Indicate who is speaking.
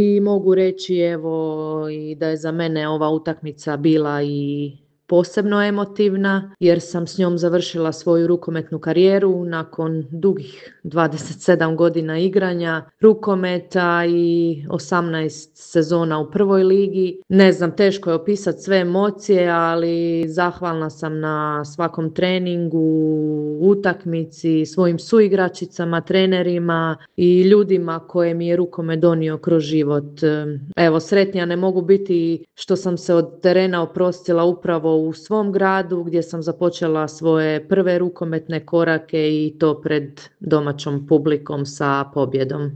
Speaker 1: i mogu reći evo i da je za mene ova utakmica bila i posebno emotivna jer sam s njom završila svoju rukometnu karijeru nakon dugih 27 godina igranja rukometa i 18 sezona u prvoj ligi. Ne znam, teško je opisati sve emocije, ali zahvalna sam na svakom treningu, utakmici, svojim suigračicama, trenerima i ljudima koje mi je rukomet donio kroz život. Evo, sretnija ne mogu biti što sam se od terena oprostila upravo u svom gradu gdje sam započela svoje prve rukometne korake i to pred domaćom publikom sa pobjedom.